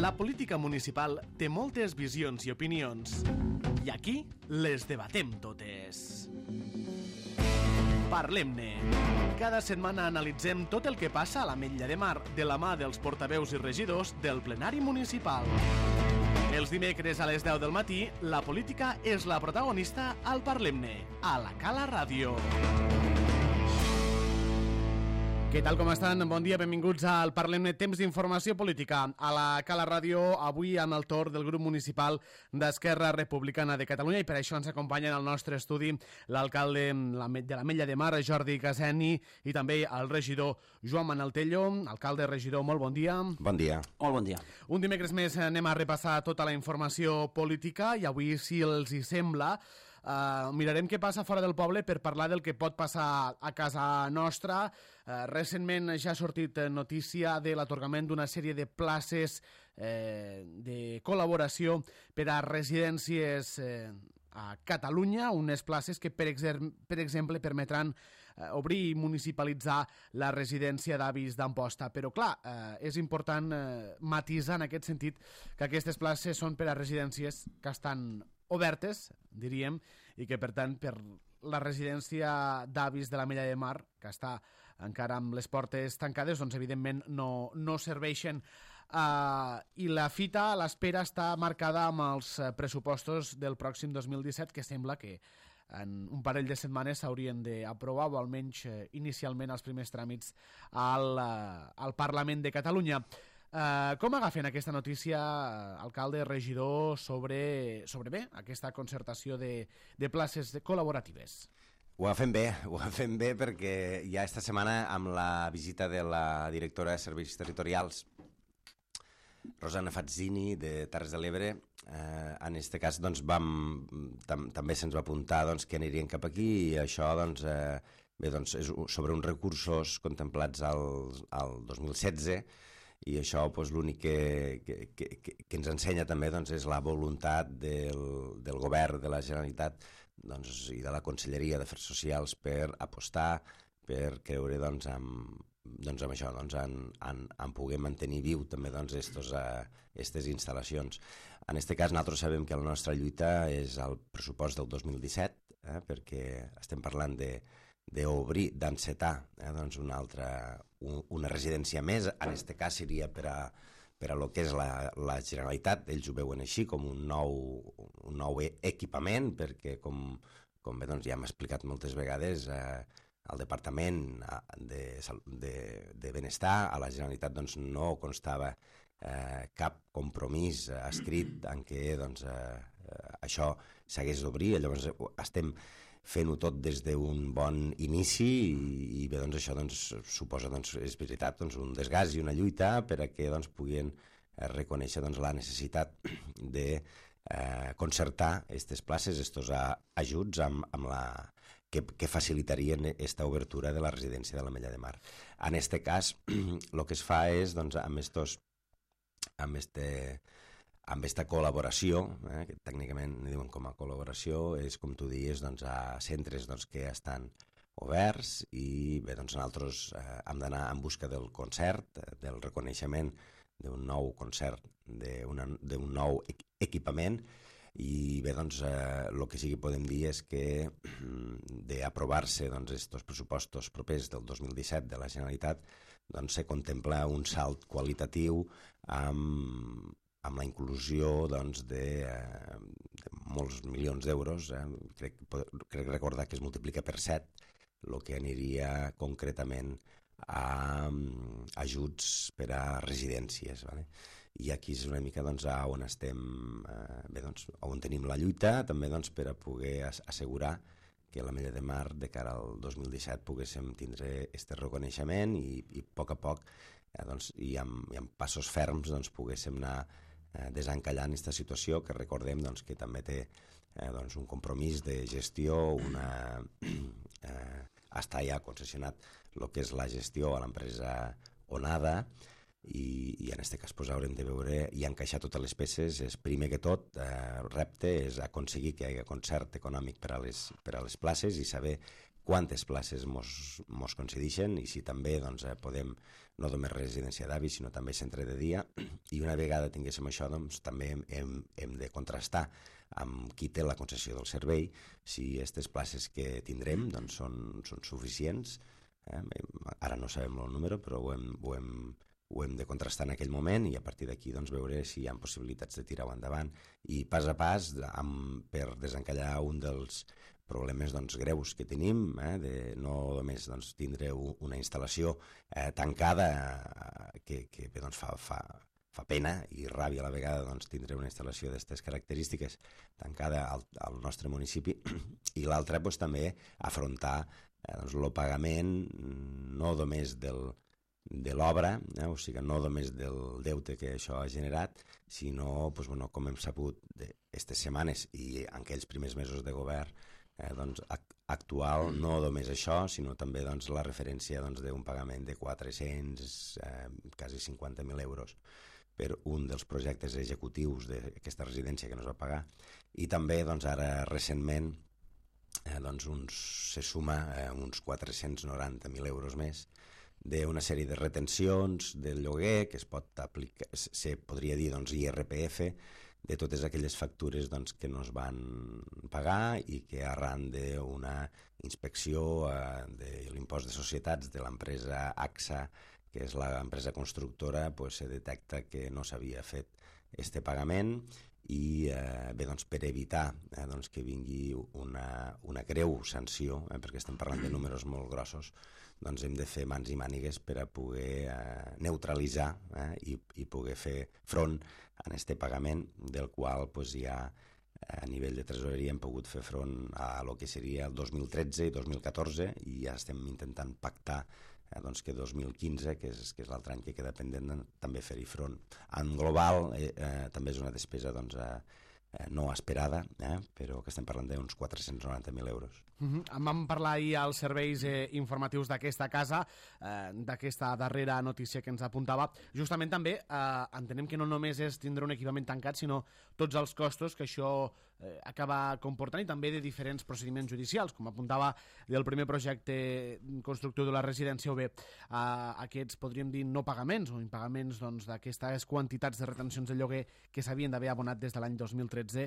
La política municipal té moltes visions i opinions, i aquí les debatem totes. Parlem-ne. Cada setmana analitzem tot el que passa a l'Ametlla de Mar de la mà dels portaveus i regidors del plenari municipal. Els dimecres a les 10 del matí, la política és la protagonista al Parlem-ne, a la Cala Ràdio. Què tal, com estan? Bon dia, benvinguts al Parlem-ne, temps d'informació política. A la Cala Ràdio, avui amb el torn del grup municipal d'Esquerra Republicana de Catalunya, i per això ens acompanyen al nostre estudi l'alcalde de l'Ametlla de Mar, Jordi Caseni, i també el regidor Joan Manel Tello. Alcalde, regidor, molt bon dia. Bon dia. Molt bon dia. Un dimecres més anem a repassar tota la informació política i avui, si els hi sembla, mirarem què passa fora del poble per parlar del que pot passar a casa nostra. Recentment ja ha sortit notícia de l'atorgament d'una sèrie de places de col·laboració per a residències a Catalunya, unes places que, per exemple, permetran obrir i municipalitzar la residència d'avis d'Amposta. Però, clar, és important matisar en aquest sentit que aquestes places són per a residències que estan obertes, diríem, i que, per tant, per la residència d'avis de l'Ametlla de Mar, que està encara amb les portes tancades, doncs, evidentment, no serveixen. I la fita, l'espera, està marcada amb els pressupostos del pròxim 2017, que sembla que en un parell de setmanes s'haurien d'aprovar, o almenys inicialment els primers tràmits al Parlament de Catalunya. Com agafen aquesta notícia, alcalde, regidor, sobre aquesta concertació de places col·laboratives? Ho agafem bé perquè ja esta setmana, amb la visita de la directora de Serveis Territorials, Rosana Fazzini, de Terres de l'Ebre, en aquest cas doncs, també se'ns va apuntar doncs, que anirien cap aquí, i això doncs, és sobre uns recursos contemplats al 2016, i això doncs, l'únic que ens ensenya també doncs, és la voluntat del govern de la Generalitat doncs, i de la Conselleria d'Afers Socials per apostar, per creure doncs, amb això, doncs, en poder mantenir viu també doncs, aquestes instal·lacions. En aquest cas nosaltres sabem que la nostra lluita és el pressupost del 2017, perquè estem parlant d'obrir, d'encetar doncs una residència més. En aquest cas seria per a lo que és la Generalitat. Ells ho veuen així, com un nou equipament, perquè com bé doncs, ja hem explicat moltes vegades, al Departament de Benestar, a la Generalitat doncs, no constava cap compromís escrit en què doncs, això s'hagués d'obrir. Llavors estem fent-ho tot des d'un bon inici i bé, doncs, això doncs, suposa, doncs, és veritat, doncs, un desgast i una lluita per a que doncs, puguin reconèixer doncs, la necessitat de concertar aquestes places, aquests ajuts que facilitarien aquesta obertura de la residència de l'Ametlla de Mar. En aquest cas, el que es fa és, doncs, amb aquesta col·laboració, que tècnicament diuen com a col·laboració, és com tu dius, doncs, a centres doncs, que estan oberts, i bé, doncs, nosaltres hem d'anar en busca del concert, del reconeixement d'un nou concert, d'un nou equipament, i bé, doncs, el que sí que podem dir és que d'aprovar-se doncs, estos pressupostos propers del 2017 de la Generalitat, doncs, se contempla un salt qualitatiu amb la inclusió doncs, de molts milions d'euros. Crec recordar que es multiplica per 7, el que aniria concretament a ajuts per a residències. Vale? I aquí és una mica doncs, on estem, doncs, on tenim la lluita, també doncs, per a poder assegurar que l'Ametlla de Mar de cara al 2017 poguéssim tindre aquest reconeixement i a poc doncs, i amb passos ferms doncs, poguéssim anar desencallant aquesta situació, que recordem doncs, que també té doncs, un compromís de gestió, està ja concessionat el que és la gestió a l'empresa Onada, i en aquest cas pues, haurem de veure i encaixar totes les peces. És primer que tot, repte és aconseguir que hi hagi concert econòmic per a les places i saber quantes places mos concedeixen i si també doncs, podem, no només residència d'avis, sinó també centre de dia, i una vegada tinguéssim això, doncs, també hem de contrastar amb qui té la concessió del servei, si aquestes places que tindrem doncs, són suficients. Ara no sabem el número, però ho hem de contrastar en aquell moment i a partir d'aquí doncs, veure si hi ha possibilitats de tirar-ho endavant. I pas a pas, per desencallar un dels problemes doncs, greus que tenim, de no només doncs, tindre una instal·lació tancada que doncs, fa pena i ràbia a la vegada doncs, tindre una instal·lació d'aquestes característiques tancada al nostre municipi i l'altra doncs, també afrontar doncs, el pagament no només de l'obra, o sigui, no només del deute que això ha generat, sinó, doncs, bueno, com hem sabut aquestes setmanes i en aquells primers mesos de govern doncs, actual, no només això, sinó també doncs, la referència doncs, d'un pagament de 400, quasi 50.000 euros per un dels projectes executius d'aquesta residència que no es va pagar. I també doncs, ara recentment doncs, se suma uns 490.000 euros més d'una sèrie de retencions del lloguer que es pot aplicar, se podria dir doncs, IRPF, de totes aquelles factures doncs, que no es van pagar i que arran d'una inspecció de l'impost de societats de l'empresa AXA, que és l'empresa constructora, pues, se detecta que no s'havia fet este pagament i bé, doncs, per evitar doncs, que vingui una greu sanció, perquè estem parlant de números molt grossos, doncs hem de fer mans i mànigues per a poder neutralitzar i poder fer front a aquest pagament, del qual pues, ja a nivell de tresoreria hem pogut fer front a lo que seria el 2013 i 2014 i ja estem intentant pactar doncs, que 2015, que és l'altre any que queda pendent, també fer-hi front. En global també és una despesa doncs, no esperada, però que estem parlant d'uns 490.000 euros. En vam parlar ahir als serveis informatius d'aquesta casa, d'aquesta darrera notícia que ens apuntava. Justament també entenem que no només és tindre un equipament tancat, sinó tots els costos que això acaba comportant i també de diferents procediments judicials, com apuntava del primer projecte constructiu de la residència o bé aquests, podríem dir, no pagaments o impagaments doncs, d'aquestes quantitats de retencions de lloguer que s'havien d'haver abonat des de l'any 2013,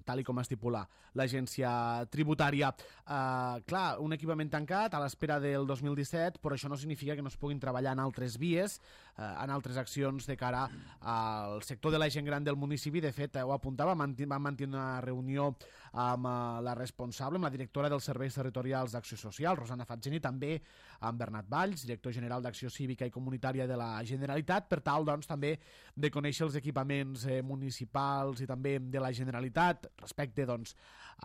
tal i com estipula l'agència tributària. Clar, un equipament tancat a l'espera del 2017, però això no significa que no es puguin treballar en altres vies, en altres accions de cara al sector de la gent gran del municipi. De fet, ho apuntava, vam mantenir una reunió amb la responsable, amb la directora dels serveis territorials d'Acció Social, Rosana Fatzini, també amb Bernat Valls, director general d'Acció Cívica i Comunitària de la Generalitat, per tal doncs, també de conèixer els equipaments municipals i també de la Generalitat respecte doncs,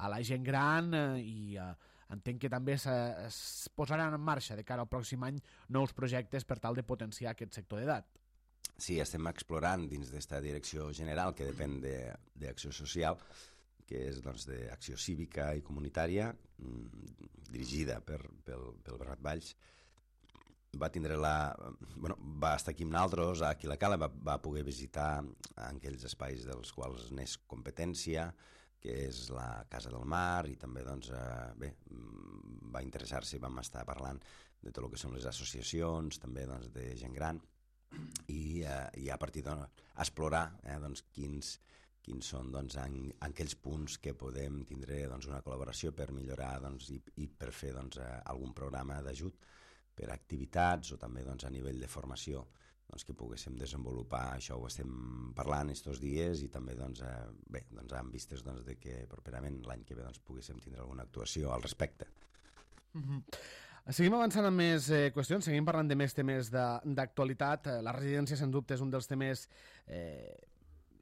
a la gent gran i entenc que també es posaran en marxa de cara al pròxim any nous projectes per tal de potenciar aquest sector d'edat. Sí, estem explorant dins d'esta direcció general que depèn d'Acció Social, que és doncs, d'Acció Cívica i Comunitària, dirigida pel Bernat Valls. Va estar aquí amb nosaltres, aquí a la Cala, va poder visitar aquells espais dels quals n'és competència, que és la Casa del Mar, i també doncs, va interessar-se, vam estar parlant de tot el que són les associacions, també doncs, de gent gran, i a partir d'explorar doncs, quins són doncs, aquells punts que podem tindre doncs, una col·laboració per millorar doncs, i per fer doncs, algun programa d'ajut per activitats o també doncs, a nivell de formació doncs, que poguéssim desenvolupar. Això ho estem parlant estos dies i també doncs, amb vistes doncs, de que properament l'any que ve doncs, poguéssim tindre alguna actuació al respecte. Seguim avançant amb més qüestions, seguim parlant de més temes d'actualitat. La residència, sens dubte, és un dels temes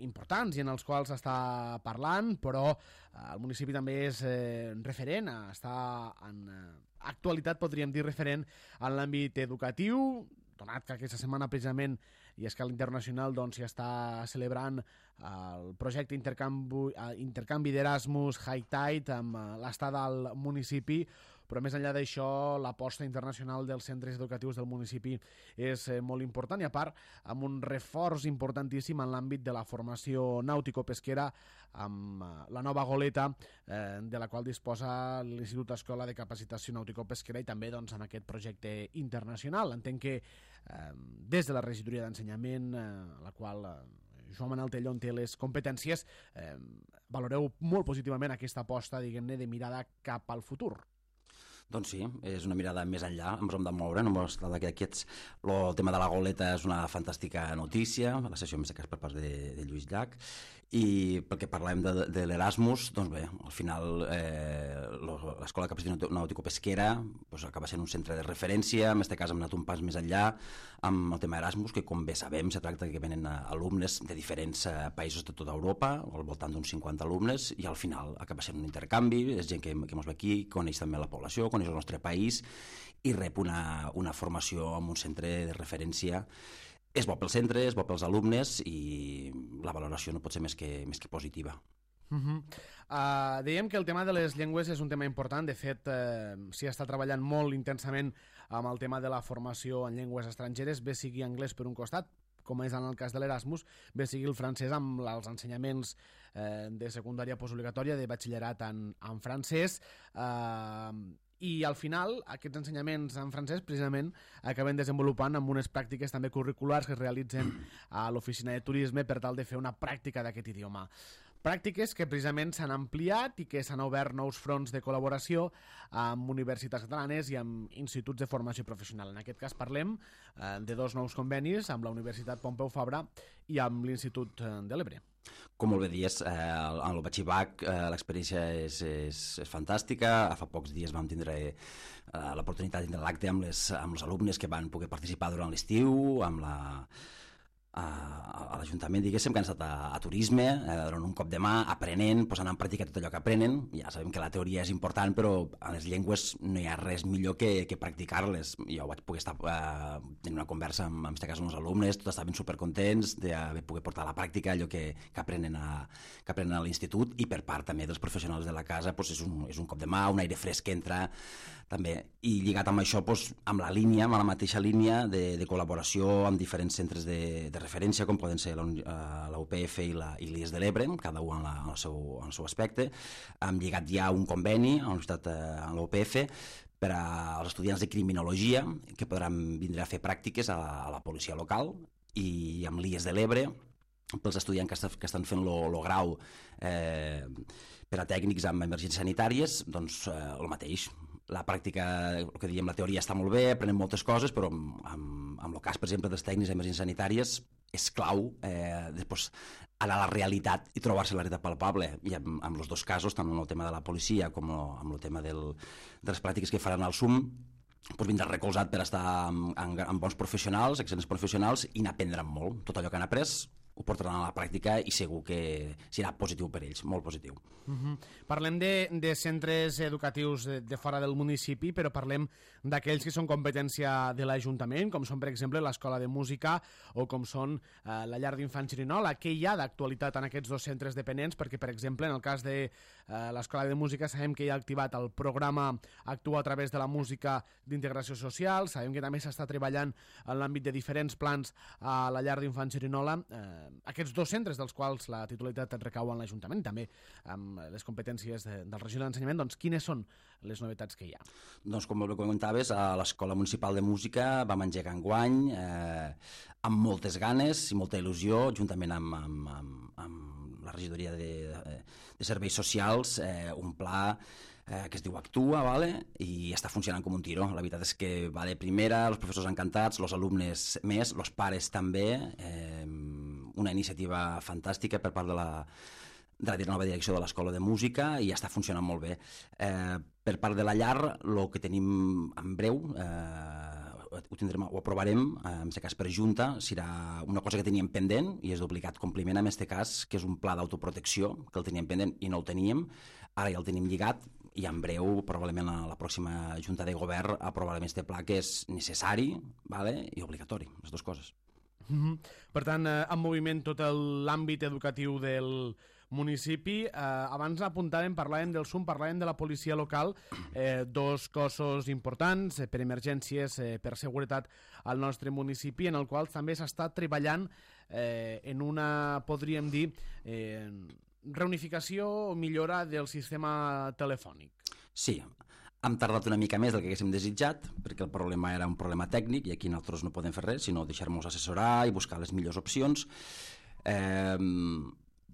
importants i en els quals s'està parlant, però el municipi també és referent, està en actualitat, podríem dir, referent en l'àmbit educatiu, donat que aquesta setmana precisament i a escala internacional doncs, ja està celebrant el projecte intercanvi d'Erasmus High Tide amb l'estada al municipi, però més enllà d'això l'aposta internacional dels centres educatius del municipi és molt important, i a part amb un reforç importantíssim en l'àmbit de la formació nàutico-pesquera amb la nova goleta de la qual disposa l'Institut Escola de Capacitació Nàutico-Pesquera, i també doncs, amb aquest projecte internacional. Entenc que des de la regidoria d'ensenyament, la qual Joan Manel Tellón té les competències, valoreu molt positivament aquesta aposta, diguem-ne, de mirada cap al futur. Doncs sí, és una mirada més enllà, ens hem de moure, no ens tracta d'aquests. El tema de la goleta és una fantàstica notícia, la sessió més per part de Lluís Llach, i perquè parlem de l'Erasmus, doncs bé, al final l'Escola de Capacitació Nàutico-Pesquera acaba sent un centre de referència, en aquest cas hem anat un pas més enllà amb el tema Erasmus, que com bé sabem se tracta que venen alumnes de diferents països de tota Europa, al voltant d'uns 50 alumnes, i al final acaba sent un intercanvi, és gent que ens ve aquí, coneix també la població, coneix el nostre país i rep una formació en un centre de referència. És bo pel centre, és bo pels alumnes i la valoració no pot ser més que positiva. Dèiem que el tema de les llengües és un tema important. De fet, s'hi està treballant molt intensament amb el tema de la formació en llengües estrangeres, bé sigui anglès per un costat, com és en el cas de l'Erasmus, bé sigui el francès amb els ensenyaments de secundària postobligatòria, de batxillerat en francès, i al final aquests ensenyaments en francès precisament acaben desenvolupant amb unes pràctiques també curriculars que es realitzen a l'oficina de turisme per tal de fer una pràctica d'aquest idioma. Pràctiques que precisament s'han ampliat i que s'han obert nous fronts de col·laboració amb universitats catalanes i amb instituts de formació professional. En aquest cas parlem de dos nous convenis amb la Universitat Pompeu Fabra i amb l'Institut de l'Ebre. Com molt bé dies, en el Batxibac l'experiència és fantàstica. Fa pocs dies vam tindre l'oportunitat de tindre l'acte amb els alumnes que van poder participar durant l'estiu, amb a l'Ajuntament, diguéssim, que han estat a turisme, donant un cop de mà, aprenent, posant en pràctica tot allò que aprenen. Ja sabem que la teoria és important, però a les llengües no hi ha res millor que practicar-les. Jo vaig poder estar tenint una conversa amb aquest cas amb els alumnes, tots estaven supercontents de poder portar a la pràctica allò que aprenen a l'institut, i per part també dels professionals de la casa és un cop de mà, un aire fresc que entra també, i lligat amb això amb la mateixa línia de col·laboració amb diferents centres de referència, com poden ser la UPF i l'IES de l'Ebre, cada un en el seu aspecte. Hem lligat ja un conveni a la Universitat, a la UPF, per als estudiants de criminologia que podran vindre a fer pràctiques a la policia local, i amb l'IES de l'Ebre pels estudiants que estan fent el grau per a tècnics amb emergències sanitàries, doncs el mateix. La pràctica, el que diem, la teoria està molt bé, aprenem moltes coses, però amb el cas, per exemple, dels tècnics d'emergències sanitàries és clau després anar a la realitat i trobar-se la realitat palpable. I en els dos casos, tant en el tema de la policia com en el tema de les pràctiques que faran al SUM, vindrà recolzat per estar amb bons professionals, excel·lents professionals, i n'aprendran molt. Tot allò que han après ho portaran a la pràctica i segur que serà positiu per ells, molt positiu. Parlem de centres educatius de fora del municipi, però parlem d'aquells que són competència de l'Ajuntament, com són, per exemple, l'Escola de Música o com són la Llar d'Infants Xerinola. Què hi ha d'actualitat en aquests dos centres dependents? Perquè, per exemple, en el cas de l'Escola de Música sabem que hi ha activat el programa Actua a través de la música d'integració social, sabem que també s'està treballant en l'àmbit de diferents plans a la Llar d'Infants Xerinola. Aquests dos centres, dels quals la titularitat recau en l'Ajuntament, també amb les competències del regidor d'ensenyament, doncs quines són les novetats que hi ha? Doncs com bé comentaves, a l'Escola Municipal de Música vam engegar enguany amb moltes ganes i molta il·lusió, juntament amb la regidoria de Serveis Socials, un pla que es diu Actua, i està funcionant com un tiro. La veritat és que va de primera, els professors encantats, els alumnes més, els pares també, una iniciativa fantàstica per part de la nova direcció de l'Escola de Música, i està funcionant molt bé. Per part de la llar, el que tenim en breu, ho aprovarem, en aquest cas per Junta, serà una cosa que teníem pendent i és d'obligat compliment en aquest cas, que és un pla d'autoprotecció, que el teníem pendent i no el teníem, ara ja el tenim lligat, i en breu, probablement a la pròxima Junta de Govern, aprovarem aquest pla que és necessari i obligatori, les dues coses. Per tant, en moviment tot l'àmbit educatiu del municipi. Abans parlàvem del SUM, parlàvem de la policia local, dos cossos importants per emergències, per seguretat al nostre municipi, en el qual també s'està treballant en una, podríem dir, reunificació o millora del sistema telefònic. Sí, hem tardat una mica més del que haguéssim desitjat, perquè el problema era un problema tècnic i aquí nosaltres no podem fer res, sinó deixar-nos assessorar i buscar les millors opcions.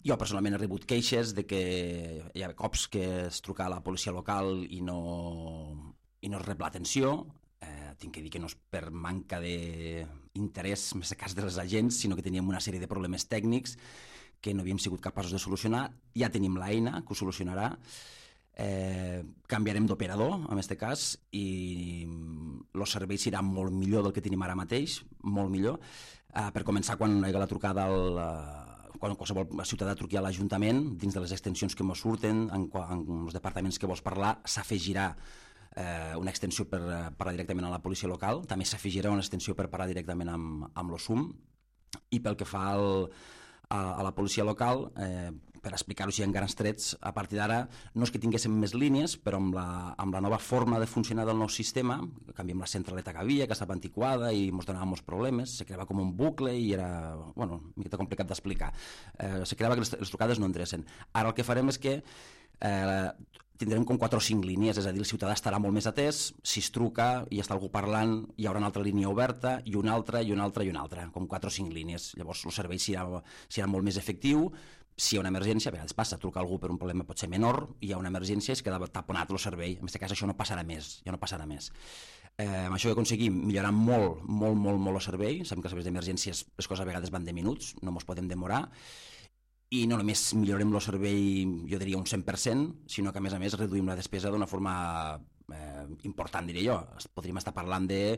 Jo personalment he rebut queixes de que hi ha cops que es truca a la policia local i no es rep l'atenció. Tinc que dir que no és per manca d'interès, en aquest cas de les agents, sinó que teníem una sèrie de problemes tècnics que no havíem sigut capaços de solucionar. Ja tenim l'eina que ho solucionarà. Canviarem d'operador, en aquest cas, i el servei serà molt millor del que tenim ara mateix, molt millor. Per començar, quan hi ha la trucada quan qualsevol ciutadà truqui a l'Ajuntament, dins de les extensions que ens surten, en els departaments que vols parlar, s'afegirà una extensió per parlar directament a la policia local, també s'afegirà una extensió per parlar directament amb l'OSUM, i pel que fa a la policia local, per explicar-ho així en grans trets, a partir d'ara no és que tinguéssim més línies, però amb la nova forma de funcionar del nou sistema, canviem la centraleta que havia, que estava antiquada i ens donava molts problemes, se creava com un bucle i era, una miqueta complicat d'explicar. Se creava que les trucades no endrecen. Ara el que farem és que tindrem com 4 o 5 línies, és a dir, el ciutadà estarà molt més atès, si es truca i està algú parlant, hi haurà una altra línia oberta, i una altra, i una altra, i una altra, com 4 o 5 línies. Llavors el servei serà molt més efectiu. Si hi ha una emergència, a vegades passa, truca algú per un problema pot ser menor, hi ha una emergència i es queda taponat el servei. En aquest cas això no passarà més, ja no passarà més. Amb això aconseguim millorar molt el servei. Sabem que els serveis d'emergències les coses a vegades van de minuts, no ens podem demorar, i no només millorem el servei, jo diria un 100%, sinó que a més reduïm la despesa d'una forma important, diria jo. Podríem estar parlant de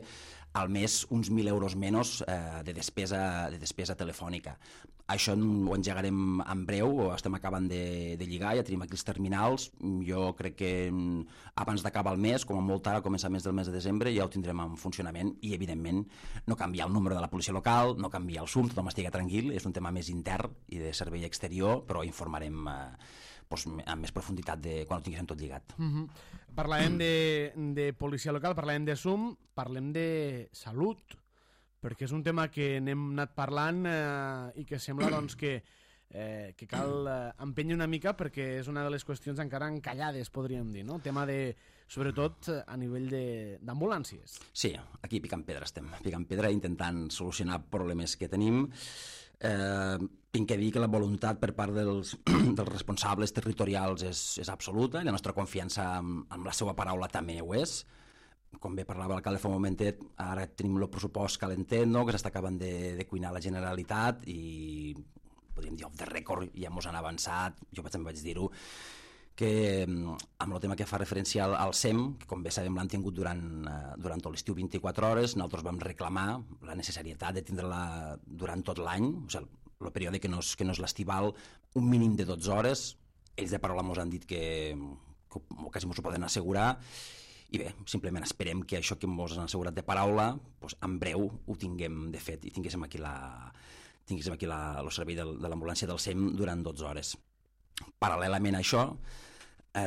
al mes uns 1.000 euros menys de despesa telefònica. Això ho engegarem en breu, estem acabant de lligar, ja tenim aquí els terminals. Jo crec que abans d'acabar el mes, com a molt tard, a començar el mes de desembre, ja ho tindrem en funcionament i, evidentment, no canviar el número de la policia local, no canviar el SUM, tothom estigui tranquil, és un tema més intern i de servei exterior, però informarem amb més profunditat quan ho tinguéssim tot lligat. Parlàvem de policia local, parlàvem de SUM, parlem de salut, perquè és un tema que n'hem anat parlant i que sembla doncs, que cal empènyer una mica perquè és una de les qüestions encara encallades, podríem dir, no? Tema de, sobretot a nivell d'ambulàncies. Sí, aquí picant pedra estem, picant pedra intentant solucionar problemes que tenim. Tinc que dir que la voluntat per part dels responsables territorials és absoluta i la nostra confiança amb la seva paraula també ho és. Com bé parlava l'alcalde fa un momentet, ara tenim el pressupost calentet, no? Que s'està acabant de cuinar la Generalitat i podríem dir off the record, ja mos han avançat, jo també vaig dir-ho, que amb el tema que fa referència al SEM, que com bé sabem l'han tingut durant tot l'estiu 24 hores, nosaltres vam reclamar la necessitat de tindre-la durant tot l'any, o sigui, el període que no és l'estival, un mínim de 12 hores. Ells de paraula ens han dit que quasi ens ho poden assegurar, i bé, simplement esperem que això que ens han assegurat de paraula, doncs en breu ho tinguem de fet i tinguéssim aquí el servei de l'ambulància del SEM durant 12 hores. Paral·lelament a això,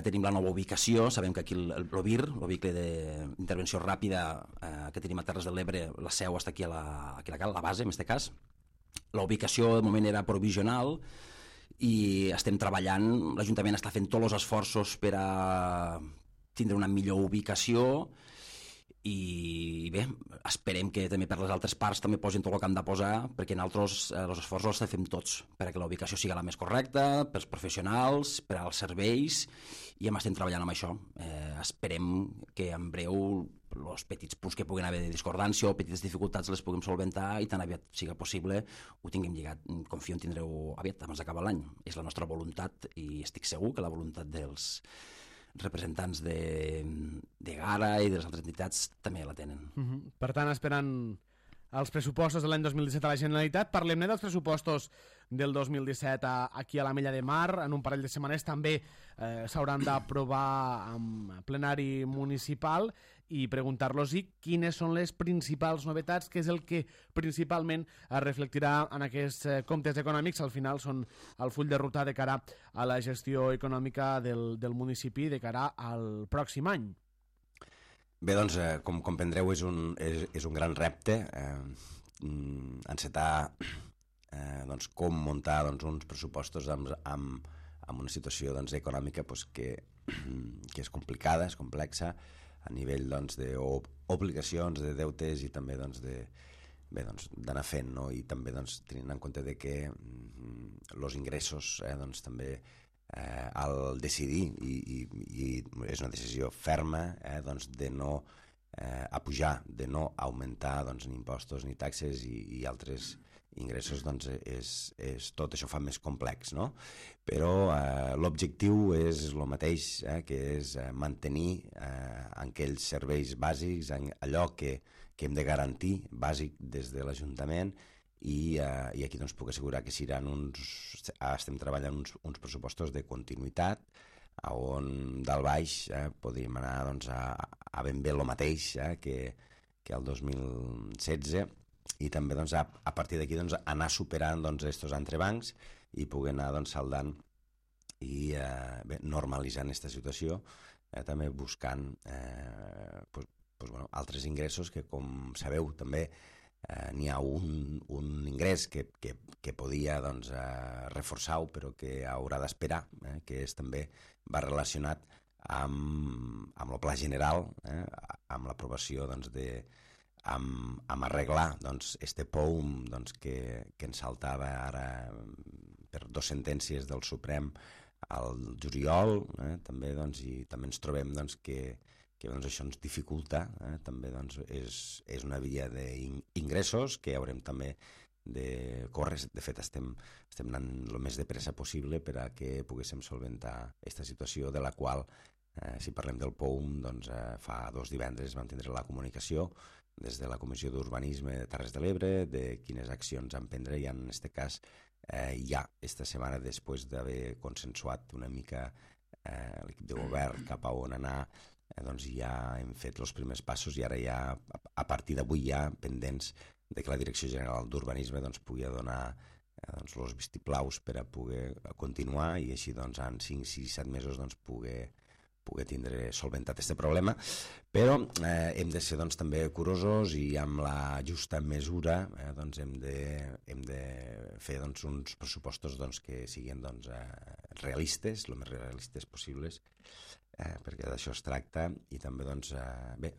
tenim la nova ubicació, sabem que aquí l'OVIR, el vehicle d'intervenció ràpida que tenim a Terres de l'Ebre, la seu està aquí a la base, en aquest cas. La ubicació de moment era provisional i estem treballant, l'Ajuntament està fent tots els esforços per a tindre una millor ubicació i bé, esperem que també per les altres parts també posin tot el que han de posar, perquè nosaltres els esforços els fem tots perquè la ubicació sigui la més correcta, pels professionals, per als serveis, i estem treballant amb això. Esperem que en breu els petits punts que puguin haver de discordància o petites dificultats les puguem solventar i tan aviat sigui possible ho tinguem lligat. Confio en tindreu aviat abans d'acabar l'any. És la nostra voluntat i estic segur que la voluntat dels representants de Gara i de les altres entitats també la tenen. Per tant, esperant els pressupostos de l'any 2017 a la Generalitat. Parlem-ne dels pressupostos del 2017 aquí a l'Ametlla de Mar. En un parell de setmanes també s'hauran d'aprovar en plenari municipal i preguntar-los quines són les principals novetats, que és el que principalment es reflectirà en aquests comptes econòmics. Al final són el full de ruta de cara a la gestió econòmica del municipi de cara al pròxim any. Bé, doncs, com comprendreu, és un gran repte encetar doncs, com muntar doncs, uns pressupostos amb una situació doncs, econòmica doncs, que és complicada, és complexa, a nivell doncs, d'obligacions, de deutes i també doncs, d'anar fent, no? I també doncs, tenint en compte de que els ingressos doncs, també al decidir i és una decisió ferma doncs, de no apujar, de no augmentar doncs, ni impostos ni taxes i altres ingressos, doncs tot això fa més complex, no? Però l'objectiu és el mateix, que és mantenir aquells serveis bàsics, allò que hem de garantir bàsic des de l'Ajuntament, i aquí doncs, puc assegurar que estem treballant uns pressupostos de continuïtat on dalt baix podríem anar doncs, a ben bé el mateix que el 2016 i també doncs, a partir d'aquí doncs, anar superant estos entrebancs i poder anar doncs, saldant i normalitzant aquesta situació, també buscant altres ingressos que, com sabeu, també n'hi ha un ingrés que podia doncs, reforçar-ho, però que haurà d'esperar, que també va relacionat amb el pla general, amb l'aprovació doncs, amb arreglar doncs, este POUM doncs, que ens saltava ara per 2 sentències del Suprem al juliol, també, doncs, i també ens trobem doncs, que doncs, això ens dificulta, també doncs, és una via d'ingressos que haurem també de córrer. De fet, estem anant el més de pressa possible per a que poguéssim solventar aquesta situació, de la qual, si parlem del POUM, doncs, fa 2 divendres vam tindre la comunicació des de la Comissió d'Urbanisme de Terres de l'Ebre de quines accions emprendre, i en aquest cas ja esta setmana, després d'haver consensuat una mica l'equip de govern cap a on anar, doncs ja hem fet els primers passos, i ara ja, a partir d'avui, ja pendents de que la Direcció General d'Urbanisme doncs, pugui donar doncs, els vistiplaus per a poder continuar, i així doncs, en 5, 6, 7 mesos doncs, poder tindre solventat aquest problema. Però hem de ser doncs, també curosos, i amb la justa mesura doncs, hem de fer doncs, uns pressupostos doncs, que siguin doncs, realistes, el més realistes possibles, perquè d'això es tracta, i també doncs,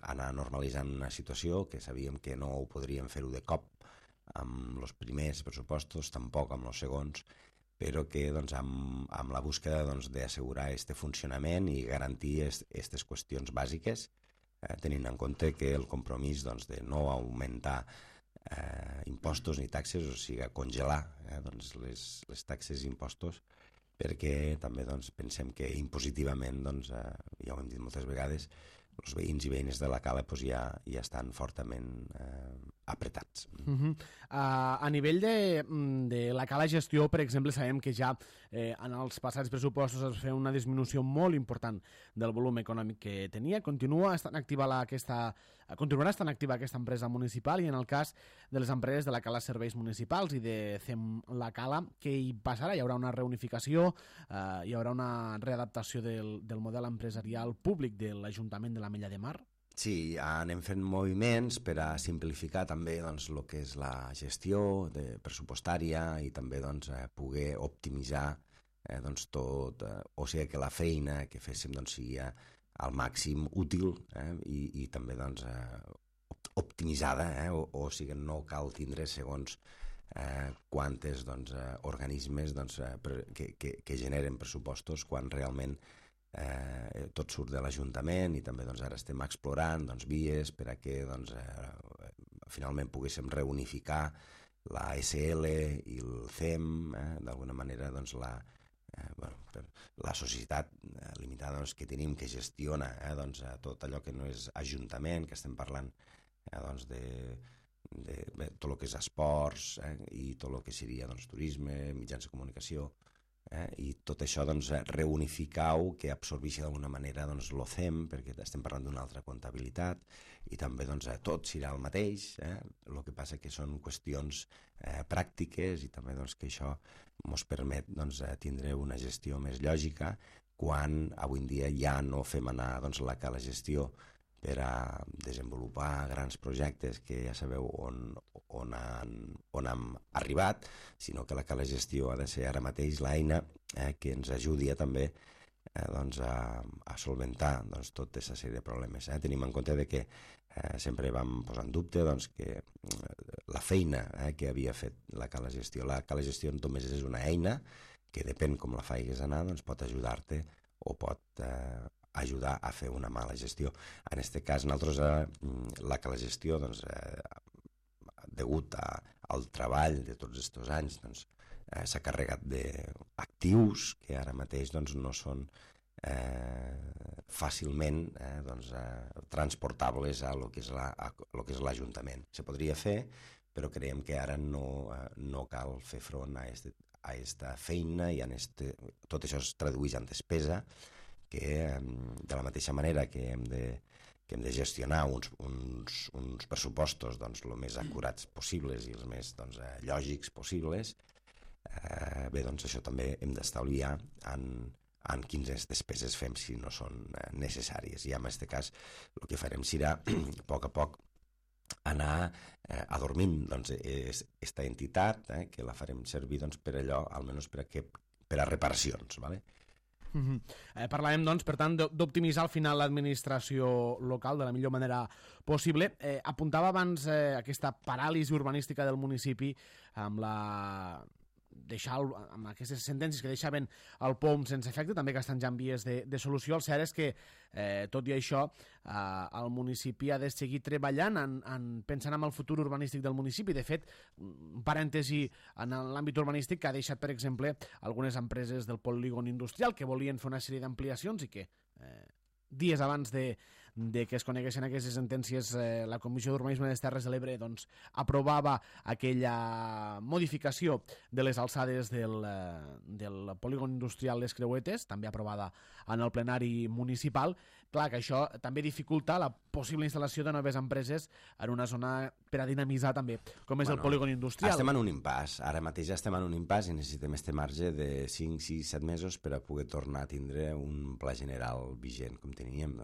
anar normalitzant una situació que sabíem que no ho podríem fer-ho de cop amb els primers pressupostos, tampoc amb els segons, però que doncs, amb la búsqueda doncs, d'assegurar aquest funcionament i garantir aquestes qüestions bàsiques, tenint en compte que el compromís doncs, de no augmentar impostos ni taxes, o sigui, congelar doncs, les taxes i impostos, perquè també doncs, pensem que impositivament, doncs, ja ho hem dit moltes vegades, els veïns i veïnes de la Cala doncs, ja estan fortament apretats. A nivell de la Cala Gestió, per exemple, sabem que ja en els passats pressupostos es va fer una disminució molt important del volum econòmic que tenia. Continuarà estant activa aquesta empresa municipal, i en el cas de les empreses de la Cala Serveis Municipals i de CEM La Cala, què hi passarà? Hi haurà una reunificació, hi haurà una readaptació del model empresarial públic de l'Ajuntament de l'Ametlla de Mar? Sí, anem fent moviments per a simplificar també doncs, el que és la gestió pressupostària, i també doncs, poder optimitzar doncs, tot, o sigui que la feina que féssim doncs, sigui al màxim útil i també doncs, optimitzada, o sigui, no cal tindre segons quantes doncs, organismes doncs, que generen pressupostos, quan realment tot surt de l'Ajuntament, i també doncs, ara estem explorant doncs, vies per a que doncs, finalment poguéssim reunificar la SL i el CEM, d'alguna manera doncs, la societat limitada doncs, que tenim, que gestiona doncs, tot allò que no és Ajuntament, que estem parlant doncs, de tot el que és esports, i tot el que seria doncs, turisme, mitjans de comunicació, I tot això doncs, reunificar-ho, que absorbeixi d'alguna manera doncs, l'OCEM, perquè estem parlant d'una altra comptabilitat, i també doncs, tot serà el mateix, el que passa que són qüestions pràctiques i també doncs, que això ens permet doncs, tindre una gestió més lògica quan avui en dia ja no fem anar doncs, la gestió per a desenvolupar grans projectes que ja sabeu on hem arribat, sinó que la gestió ha de ser ara mateix l'eina que ens ajudi també doncs, a solventar doncs, tota aquesta sèrie de problemes. Tenim en compte que sempre vam posar en dubte doncs, que la feina que havia fet la gestió només és una eina que depèn com la faigues anar, doncs, pot ajudar-te o pot ajudar a fer una mala gestió. En aquest cas, nosaltres la gestió, doncs, degut al treball de tots aquests anys, doncs, s'ha carregat d'actius que ara mateix doncs, no són fàcilment doncs, transportables a lo que és l'Ajuntament. Se podria fer, però creiem que ara no cal fer front a aquesta feina i tot això es tradueix en despesa, que de la mateixa manera que hem de gestionar uns pressupostos doncs, el més acurats possibles i els més doncs, lògics possibles, bé, doncs això també hem d'estalviar en quines despeses fem si no són necessàries. I en aquest cas el que farem serà a poc anar adormint doncs, aquesta entitat, que la farem servir doncs, per allò, almenys per a reparacions, ¿vale? Parlàvem, doncs, per tant, d'optimitzar al final l'administració local de la millor manera possible. Apuntava abans aquesta paràlisi urbanística del municipi amb amb aquestes sentències que deixaven el POM sense efecte, també que estan ja en vies de solució. El cert és que, tot i això, el municipi ha de seguir treballant pensant en el futur urbanístic del municipi. De fet, un parèntesi en l'àmbit urbanístic que ha deixat, per exemple, algunes empreses del polígon industrial que volien fer una sèrie d'ampliacions i que dies abans de que es coneguessin aquestes sentències, la Comissió d'Urbanisme de les Terres de l'Ebre doncs, aprovava aquella modificació de les alçades del polígon industrial Les Creuetes, també aprovada en el plenari municipal. Clar que això també dificulta la possible instal·lació de noves empreses en una zona per a dinamitzar també, com és el polígon industrial. Estem en un impàs, ara mateix estem en un impàs i necessitem este marge de 5, 6, 7 mesos per a poder tornar a tindre un pla general vigent com teníem.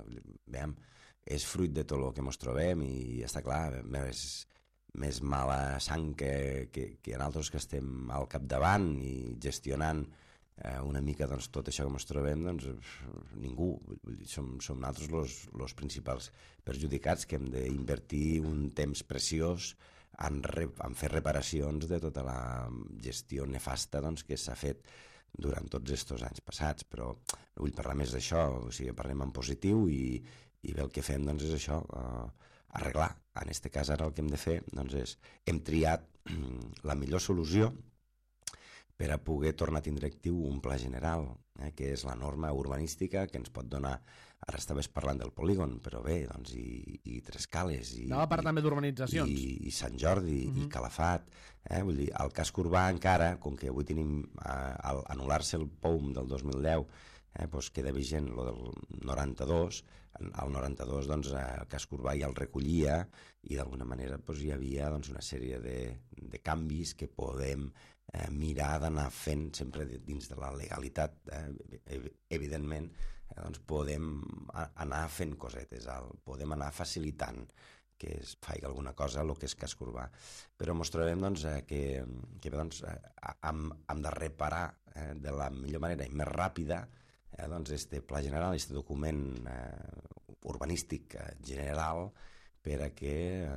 Veiem, és fruit de tot el que ens trobem i està clar, més mala sang que nosaltres que estem al capdavant i gestionant una mica doncs, tot això que ens trobem, doncs, ningú. Som nosaltres els principals perjudicats que hem d'invertir un temps preciós en fer reparacions de tota la gestió nefasta doncs, que s'ha fet durant tots aquests anys passats, però no vull parlar més d'això, o sigui, parlem en positiu i bé, el que fem doncs, és això, arreglar. En aquest cas ara el que hem de fer doncs, hem triat la millor solució per a poder tornar a tindre actiu un pla general, que és la norma urbanística que ens pot donar, ara estaves parlant del polígon, però bé, doncs, i Trescales, anava a parlar també d'urbanitzacions, i Sant Jordi, i Calafat, vull dir, el casc urbà encara, com que avui tenim al anul·lar-se el POUM del 2010, doncs queda vigent el del 92, al 92 doncs, el casc urbà ja el recollia i d'alguna manera doncs, hi havia doncs, una sèrie de canvis que podem mirar d'anar fent sempre dins de la legalitat. Evidentment, doncs podem anar fent cosetes, podem anar facilitant que es faci alguna cosa el que és casc urbà. Però ens trobem doncs, que doncs, hem de reparar de la millor manera i més ràpida doncs, este pla general, este document urbanístic general per a que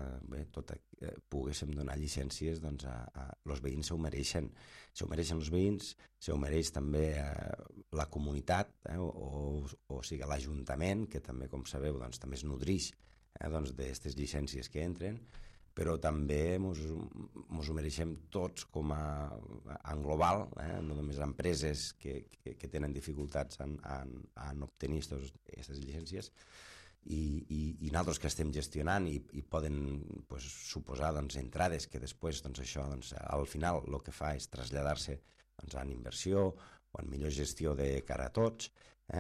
poguéssim donar llicències doncs, els veïns s'ho mereixen els veïns, s'ho mereix també la comunitat, o sigui l'Ajuntament, que també, com sabeu, doncs, també es nodrix d'aquestes llicències que entren, però també ens ho mereixem tots en global, no només empreses que tenen dificultats en obtenir aquestes llicències, i nosaltres que estem gestionant i poden suposar entrades que després això al final el que fa és traslladar-se en inversió o en millor gestió de cara a tots,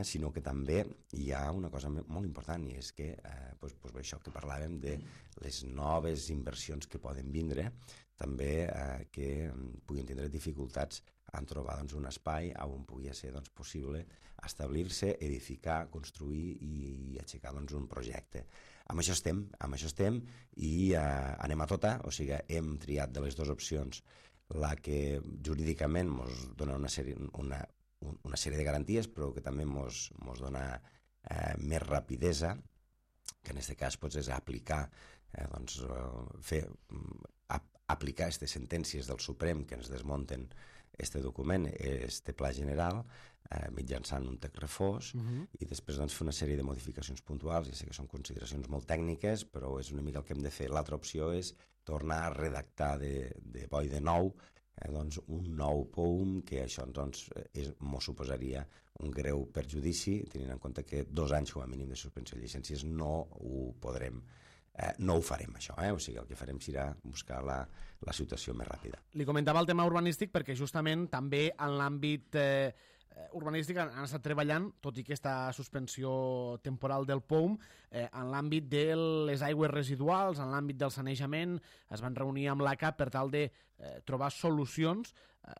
sinó que també hi ha una cosa molt important, i és que això que parlàvem de les noves inversions que poden vindre, també que puguin tindre dificultats en trobar un espai on pugui ser possible establir-se, edificar, construir i aixecar un projecte. Amb això estem i anem a tota, o sigui, hem triat de les dues opcions la que jurídicament ens dona una sèrie de garanties, però que també ens dona més rapidesa, que en aquest cas és aplicar aplicar aquestes sentències del Suprem que ens desmunten este document, este pla general, mitjançant un text refós, i després fer una sèrie de modificacions puntuals. Ja sé que són consideracions molt tècniques, però és una mica el que hem de fer. L'altra opció és tornar a redactar de bo i de nou un nou POUM, que això ens suposaria un greu perjudici, tenint en compte que 2 anys com a mínim de suspensió de llicències no ho podrem, no ho farem, això. O sigui, el que farem serà buscar la situació més ràpida. Li comentava el tema urbanístic perquè justament també en l'àmbit urbanístic han estat treballant, tot i aquesta suspensió temporal del POUM, en l'àmbit de les aigües residuals, en l'àmbit del sanejament. Es van reunir amb l'ACA per tal de trobar solucions,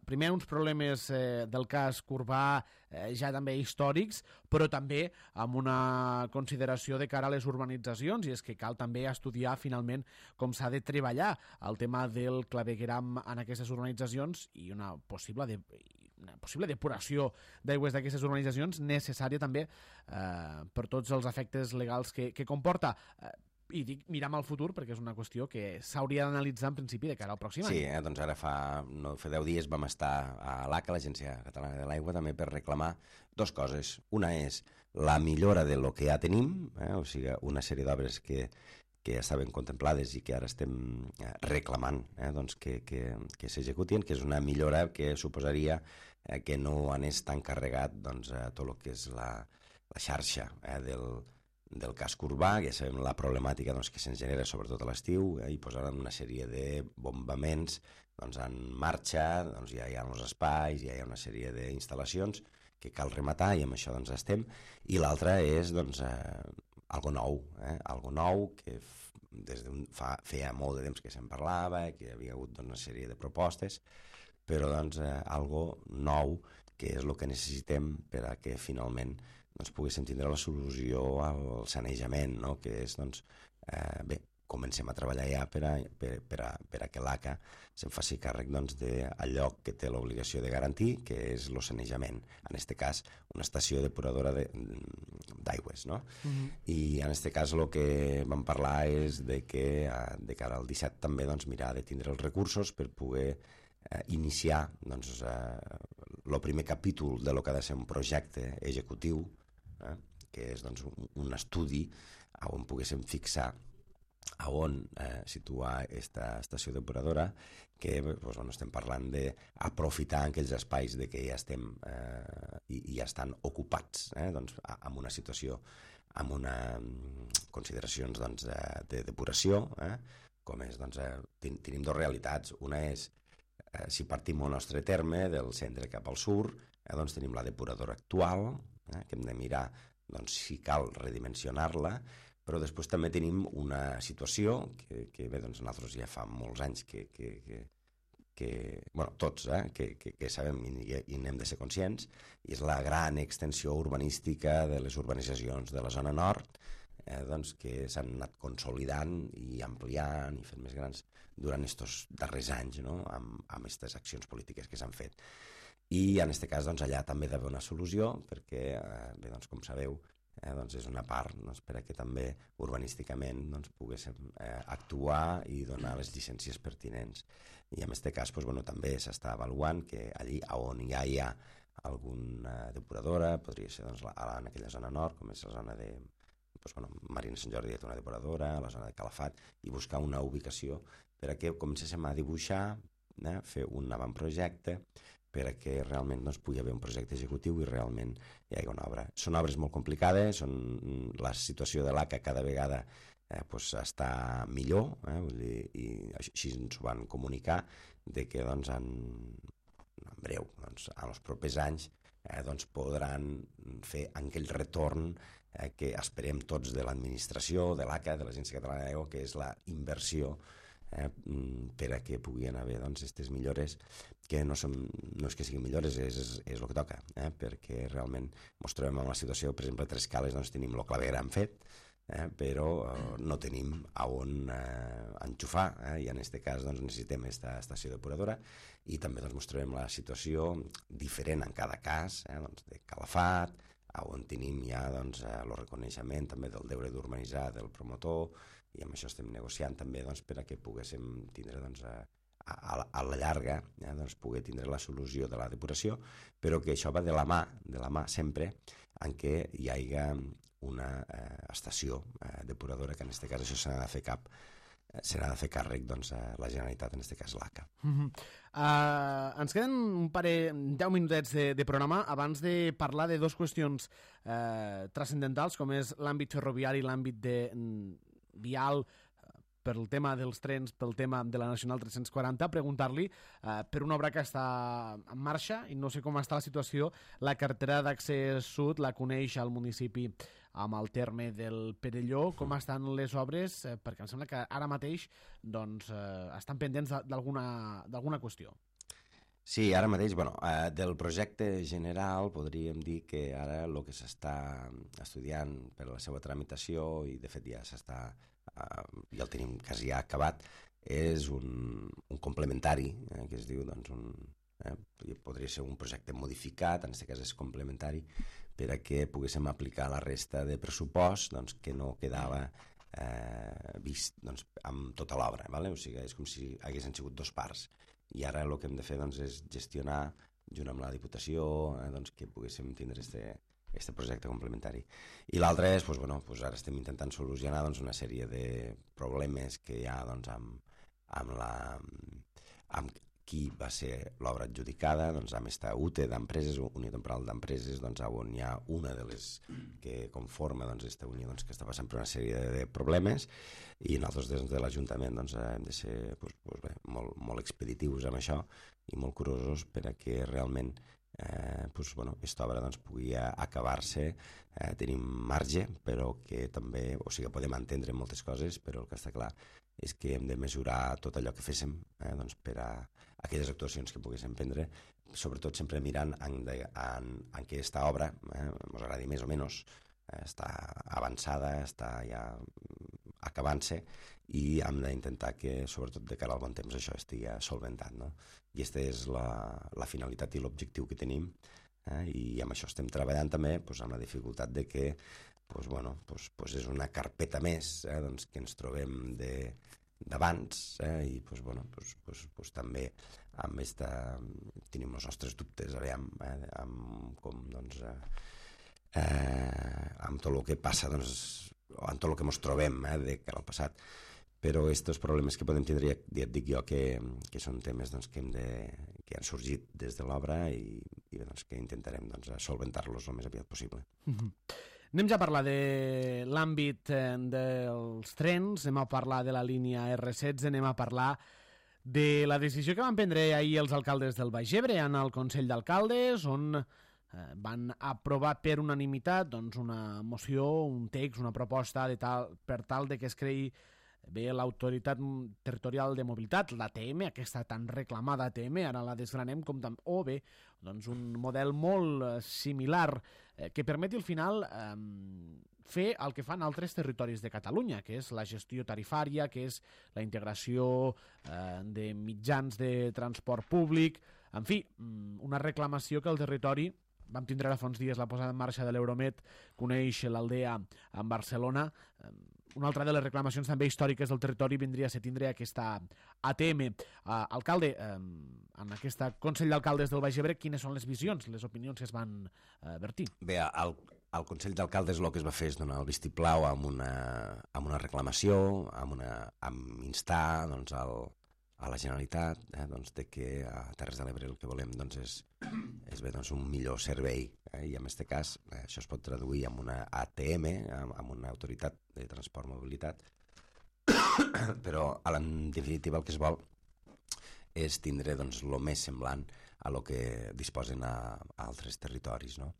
primer uns problemes del casc urbà ja també històrics, però també amb una consideració de cara a les urbanitzacions, i és que cal també estudiar finalment com s'ha de treballar el tema del clavegueram en aquestes urbanitzacions i una possible depuració d'aigües d'aquestes urbanitzacions necessària també per tots els efectes legals que comporta. I dic mirar al futur perquè és una qüestió que s'hauria d'analitzar en principi de cara al pròxim any. Sí, doncs ara fa 10 dies vam estar a l'ACA, l'Agència Catalana de l'Aigua, també per reclamar 2 coses. Una és la millora de lo que ja tenim, o sigui, una sèrie d'obres que estaven contemplades i que ara estem reclamant que s'executin, que és una millora que suposaria que no anés tan carregat tot el que és la xarxa del casc urbà. Ja sabem la problemàtica que se'ns genera sobretot a l'estiu, i posaran una sèrie de bombaments en marxa, ja hi ha uns espais, ja hi ha una sèrie d'instal·lacions que cal rematar, i amb això estem. I l'altra és algo nou que feia molt de temps que se'n parlava, que hi havia hagut una sèrie de propostes, però algo nou, que és el que necessitem per a que finalment poguéssim tindre la solució al sanejament, que és, comencem a treballar ja per a que l'ACA se'n faci càrrec d'allò que té l'obligació de garantir, que és el sanejament. En aquest cas, una estació depuradora d'aigües. I en aquest cas el que vam parlar és de que de cara al 17 també mirar de tindre els recursos per poder iniciar el primer capítol de lo que ha de ser un projecte executiu, que és un estudi on poguéssim fixar on situar aquesta estació depuradora, que estem parlant d'aprofitar aquells espais que ja estem i ja estan ocupats amb una situació, amb unes consideracions de depuració, com és, tenim 2 realitats. Una és, si partim al nostre terme, del centre cap al sud, tenim la depuradora actual, que hem de mirar si cal redimensionar-la, però després també tenim una situació que nosaltres ja fa molts anys tots que sabem i n'hem de ser conscients, i és la gran extensió urbanística de les urbanitzacions de la zona nord, que s'han anat consolidant i ampliant i fent més grans durant aquests darrers anys, amb aquestes accions polítiques que s'han fet. I en aquest cas allà també hi ha d'haver una solució, perquè, com sabeu, és una part perquè també urbanísticament poguéssim actuar i donar les llicències pertinents. I en aquest cas també s'està avaluant que allí on ja hi ha alguna depuradora, podria ser en aquella zona nord, com és la zona de Marina Sant Jordi, té una depuradora, la zona de Calafat, i buscar una ubicació per a que comencéssim a dibuixar, fer un avantprojecte perquè realment pugui haver un projecte executiu i realment hi hagi una obra. Són obres molt complicades, la situació de l'ACA cada vegada està millor, i així ens ho van comunicar, que en breu, en els propers anys, doncs podran fer aquell retorn que esperem tots de l'administració, de l'ACA, de l'Agència Catalana d'Aigua, que és la inversió per a que puguin haver aquestes millores, que no és que siguin millores, és el que toca, perquè realment ens trobem en la situació, per exemple, a Trescales tenim el clavegueram fet, però no tenim on enxufar, i en aquest cas necessitem aquesta estació depuradora, i també ens trobem la situació diferent en cada cas, de Calafat, on tenim ja el reconeixement també del deure d'urbanitzar del promotor, i amb això estem negociant també per a que poguéssim tindre a la llarga poder tindre la solució de la depuració, però que això va de la mà sempre en què hi hagi una estació depuradora, que en aquest cas això s'ha de fer càrrec la Generalitat, en aquest cas l'ACA. Ens queden un parell, 10 minutets de programa abans de parlar de dues qüestions transcendentals, com és l'àmbit ferroviari i l'àmbit vial, pel tema dels trens, pel tema de la Nacional 340, preguntar-li per una obra que està en marxa i no sé com està la situació. La carretera d'accés sud la coneix al municipi amb el terme del Perelló. Com estan les obres? Perquè em sembla que ara mateix estan pendents d'alguna qüestió. Sí, ara mateix, del projecte general podríem dir que ara el que s'està estudiant per la seva tramitació, i de fet ja el tenim quasi ja acabat, és un complementari, que es diu, podria ser un projecte modificat, en aquest cas és complementari, per a que poguéssim aplicar la resta de pressupost que no quedava vist amb tota l'obra. O sigui, és com si haguessin sigut dos parts. I ara el que hem de fer és gestionar, junt amb la Diputació, que poguéssim tindre aquest projecte complementari. I l'altre és, ara estem intentant solucionar una sèrie de problemes que hi ha amb qui va ser l'obra adjudicada, amb esta UTE d'empreses, Unió Temporal d'Empreses, on hi ha una de les que conforma aquesta unió que està passant per una sèrie de problemes, i nosaltres des de l'Ajuntament hem de ser molt expeditius amb això i molt curosos per a que realment aquesta obra pugui acabar-se. Tenim marge, però que també, podem entendre moltes coses, però el que està clar és que hem de mesurar tot allò que féssim per a aquelles actuacions que poguéssim prendre, sobretot sempre mirant en què aquesta obra, ens agradi més o menys, està avançada, està ja acabant-se, i hem d'intentar que, sobretot de cara al bon temps, això estigui solventat. I aquesta és la finalitat i l'objectiu que tenim, i amb això estem treballant també amb la dificultat de que és una carpeta més que ens trobem d'abans, i també tenim els nostres dubtes amb tot el que passa, amb tot el que ens trobem de cara al passat. Però aquests problemes que podem tindre, ja et dic jo que són temes que han sorgit des de l'obra i que intentarem solventar-los el més aviat possible. Anem ja a parlar de l'àmbit dels trens, anem a parlar de la línia R16, anem a parlar de la decisió que van prendre ahir els alcaldes del Baix Ebre en el Consell d'Alcaldes, on van aprovar per unanimitat una moció, un text, una proposta per tal de que es creï l'Autoritat Territorial de Mobilitat, l'ATM, aquesta tan reclamada ATM, ara la desgranem un model molt similar que permeti al final fer el que fan altres territoris de Catalunya, que és la gestió tarifària, que és la integració de mitjans de transport públic, en fi, una reclamació que el territori, vam tindre ara fa uns dies la posada en marxa de l'Euromed, coneix l'Aldea en Barcelona. Una altra de les reclamacions també històriques del territori vindria a ser tindre aquesta ATM. Alcalde, en aquest Consell d'Alcaldes del Baix Ebre, quines són les visions, les opinions que es van vertir? Bé, al Consell d'Alcaldes el que es va fer és donar el vistiplau amb una reclamació, amb instar a la Generalitat de que a Terres de l'Ebre el que volem és un millor servei, i en aquest cas això es pot traduir en una ATM, en una autoritat de transport mobilitat, però en definitiva el que es vol és tindre doncs, el més semblant a lo que disposen a altres territoris. No?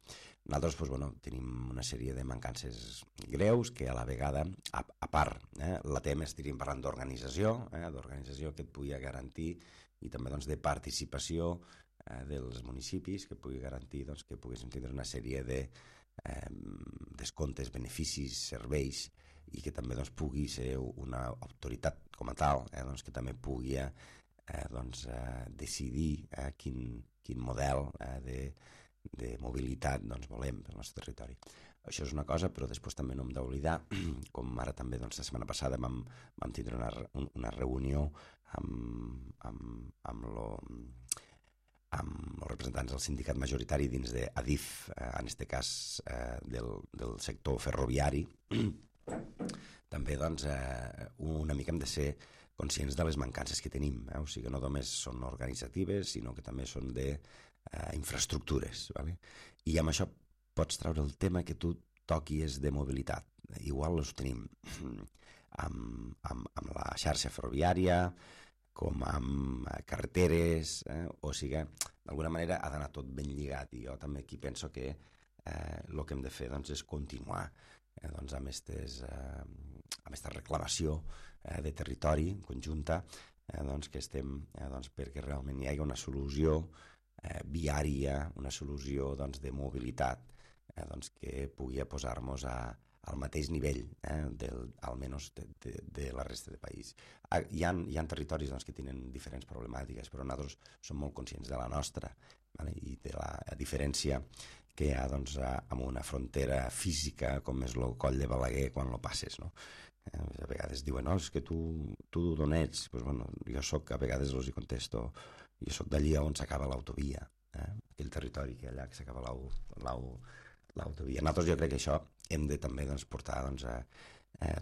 Nosaltres tenim una sèrie de mancances greus que a la vegada, a part, la tema estaríem parlant d'organització, d'organització que et pugui garantir i també de participació dels municipis, que pugui garantir que poguéssim tindre una sèrie de descomptes, beneficis, serveis, i que també pugui ser una autoritat com a tal, que també pugui decidir quin model de mobilitat volem pel nostre territori. Això és una cosa, però després també no hem d'oblidar, com ara també la setmana passada vam tindre una reunió amb els representants del sindicat majoritari dins d'Adif, en aquest cas del sector ferroviari. També una mica hem de ser conscients de les mancances que tenim, o sigui que no només són organitzatives, sinó que també són d'infraestructures. I amb això pots treure el tema que tu toquis de mobilitat. Igual ho tenim amb la xarxa ferroviària, com amb carreteres, o sigui, d'alguna manera ha d'anar tot ben lligat, i jo també aquí penso que el que hem de fer és continuar amb aquesta reclamació de territori conjunta, que estem perquè realment hi hagi una solució viària, una solució de mobilitat que pugui posar-nos al mateix nivell, almenys de la resta del país. Hi ha territoris que tenen diferents problemàtiques, però nosaltres som molt conscients de la nostra i de la diferència que hi ha amb una frontera física com és el coll de Balaguer quan lo passes. A vegades diuen, no, és que tu d'on ets? Jo soc, a vegades els hi contesto, jo soc d'allí on s'acaba l'autovia, aquell territori que allà que s'acaba l'autovia. Nosaltres jo crec que això hem de també portar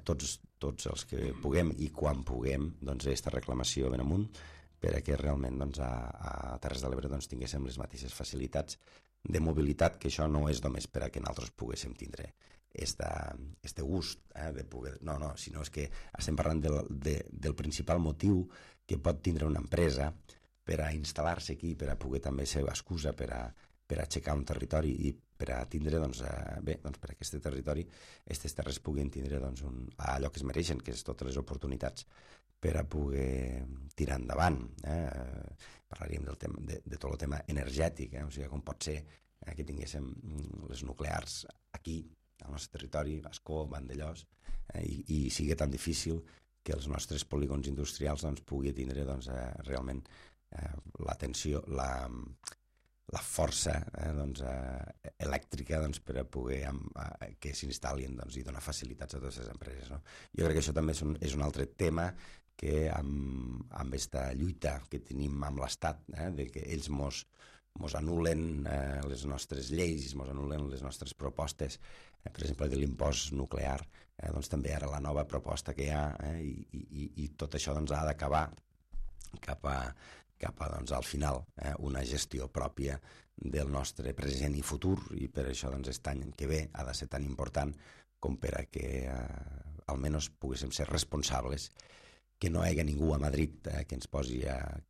tots els que puguem i quan puguem aquesta reclamació ben amunt perquè realment a Terres de l'Ebre tinguéssim les mateixes facilitats de mobilitat, que això no és només per a que nosaltres poguéssim tindre este gust de poder... No, sinó és que estem parlant del principal motiu que pot tindre una empresa per a instal·lar-se aquí, per a poder també ser excusa per a aixecar un territori i per a tindre, per a aquest territori, aquestes terres puguin tindre allò que es mereixen, que és totes les oportunitats per a poder tirar endavant. Parlaríem de tot el tema energètic, o sigui, com pot ser que tinguéssim les nuclears aquí, al nostre territori, a Ascó, Vandellòs, i sigui tan difícil que els nostres polígons industrials pugui tindre realment l'atenció, la força elèctrica per a poder que s'instal·lin i donar facilitats a totes les empreses. Jo crec que això també és un altre tema que amb aquesta lluita que tenim amb l'Estat, de que ells mos anulen les nostres lleis, mos anulen les nostres propostes, per exemple, de l'impost nuclear, també ara la nova proposta que hi ha, i tot això ha d'acabar cap al final una gestió pròpia del nostre present i futur, i per això aquest any que ve ha de ser tan important com per a que almenys poguéssim ser responsables, que no hi hagi ningú a Madrid que ens posi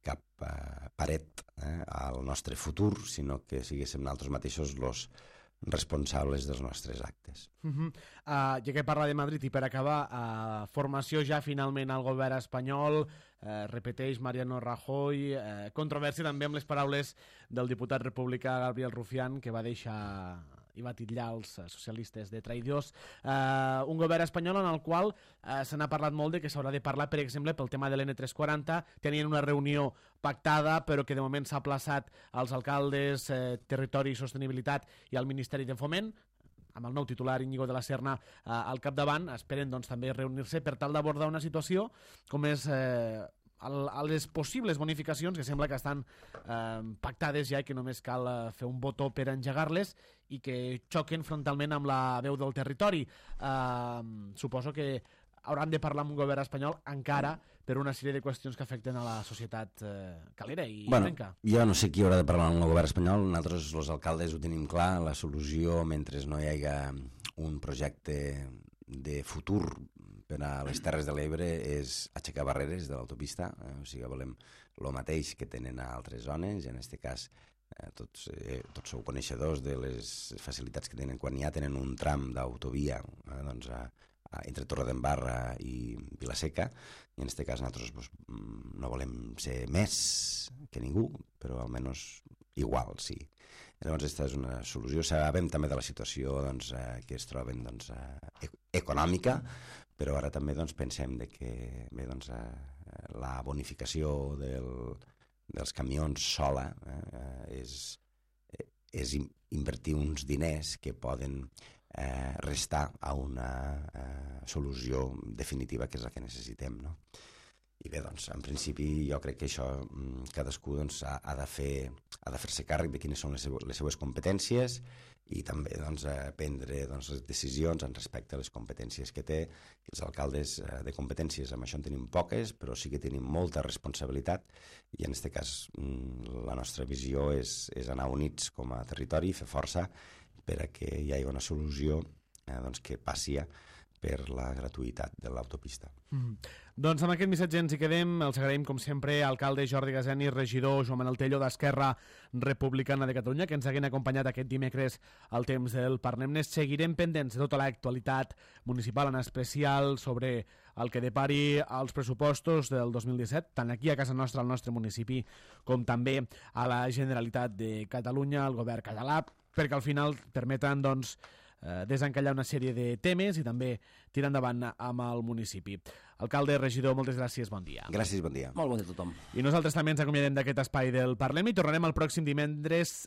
cap paret al nostre futur, sinó que siguéssim nosaltres mateixos els responsables dels nostres actes. Ja que parla de Madrid, i per acabar, formació ja finalment al govern espanyol, repeteix Mariano Rajoy, controvèrsia també amb les paraules del diputat republicà Gabriel Rufián, que va deixar i va titllar els socialistes de traïdors. Un govern espanyol en el qual se n'ha parlat molt de que s'haurà de parlar, per exemple, pel tema de l'N340. Tenien una reunió pactada, però que de moment s'ha aplaçat als alcaldes, Territori i Sostenibilitat i al Ministeri de Foment, amb el nou titular Íñigo de la Serna al capdavant. Esperen també reunir-se per tal d'abordar una situació com és a les possibles bonificacions, que sembla que estan pactades ja i que només cal fer un botó per engegar-les, i que xoquen frontalment amb la veu del territori. Suposo que hauran de parlar amb un govern espanyol encara per una sèrie de qüestions que afecten a la societat calera i ebrenca. Jo no sé qui haurà de parlar amb el govern espanyol. Nosaltres, els alcaldes, ho tenim clar. La solució, mentre no hi hagi un projecte de futur per a les Terres de l'Ebre és aixecar barreres de l'autopista, o sigui, volem el mateix que tenen a altres zones, i en aquest cas tots sou coneixedors de les facilitats que tenen quan ja tenen un tram d'autovia entre Torredembarra i Vila-seca, i en aquest cas nosaltres no volem ser més que ningú, però almenys igual, sí. Llavors, aquesta és una solució. Sabem també de la situació que es troben econòmica, però ara també pensem que la bonificació dels camions sola és invertir uns diners que poden restar a una solució definitiva, que és la que necessitem, no? I bé, en principi jo crec que això cadascú ha de fer-se càrrec de quines són les seues competències i també prendre les decisions en respecte a les competències que té. Els alcaldes de competències amb això en tenim poques, però sí que tenim molta responsabilitat, i en aquest cas la nostra visió és anar units com a territori i fer força per a que hi hagi una solució que passi per la gratuïtat de l'autopista. Doncs amb aquest missatge ens hi quedem. Els agraïm, com sempre, alcalde Jordi Gaseni, regidor Joan Manel Tello d'Esquerra Republicana de Catalunya, que ens haguin acompanyat aquest dimecres al temps del Parnem-ne. Seguirem pendents de tota l'actualitat municipal, en especial sobre el que depari als pressupostos del 2017, tant aquí a casa nostra, al nostre municipi, com també a la Generalitat de Catalunya, al govern català, perquè al final permeten desencallar una sèrie de temes i també tirar endavant amb el municipi. Alcalde, regidor, moltes gràcies, bon dia. Gràcies, bon dia. Molt bon dia a tothom. I nosaltres també ens acomiadem d'aquest espai del Parlem i tornarem el pròxim dimecres,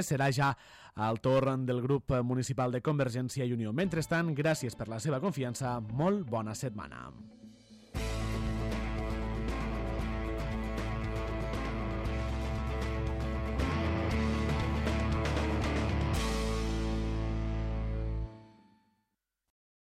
serà ja el torn del grup municipal de Convergència i Unió. Mentrestant, gràcies per la seva confiança, molt bona setmana.